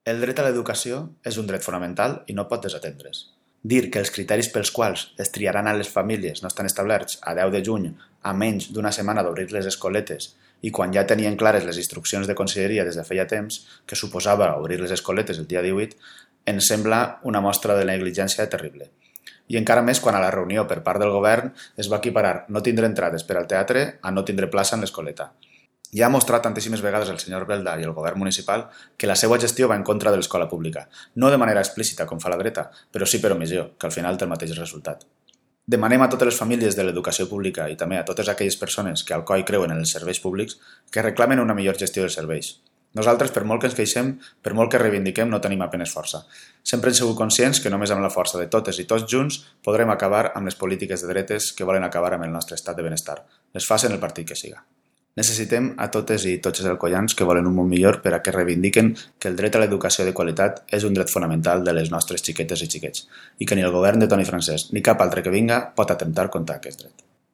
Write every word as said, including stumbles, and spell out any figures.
El dret a l'educació és un dret fonamental i no pot desatendre's. Dir que els criteris pels quals es triaran a les famílies no estan establerts a deu de juny, a menys d'una setmana d'obrir les escoletes, i quan ja tenien clares les instruccions de conselleria des de feia temps, que suposava obrir les escoletes el dia divuit, ens sembla una mostra de negligència terrible. I encara més quan a la reunió per part del govern es va equiparar no tindre entrades per al teatre a no tindre plaça en l'escoleta. Ja ha mostrat tantíssimes vegades el senyor Belda i el govern municipal que la seva gestió va en contra de l'escola pública, no de manera explícita com fa la dreta, però sí per omissió, que al final té el mateix resultat. Demanem a totes les famílies de l'educació pública i també a totes aquelles persones que al coi creuen en els serveis públics que reclamen una millor gestió dels serveis. Nosaltres, per molt que ens queixem, per molt que reivindiquem, no tenim apenes força. Sempre hem sigut conscients que només amb la força de totes i tots junts podrem acabar amb les polítiques de dretes que volen acabar amb el nostre estat de benestar. Les facin el partit que siga. Necessitem a totes i tots els alcoians que volen un món millor per a que reivindiquen que el dret a l'educació de qualitat és un dret fonamental de les nostres xiquetes i xiquets i que ni el govern de Toni Francesc ni cap altre que vinga pot atemptar contra aquest dret.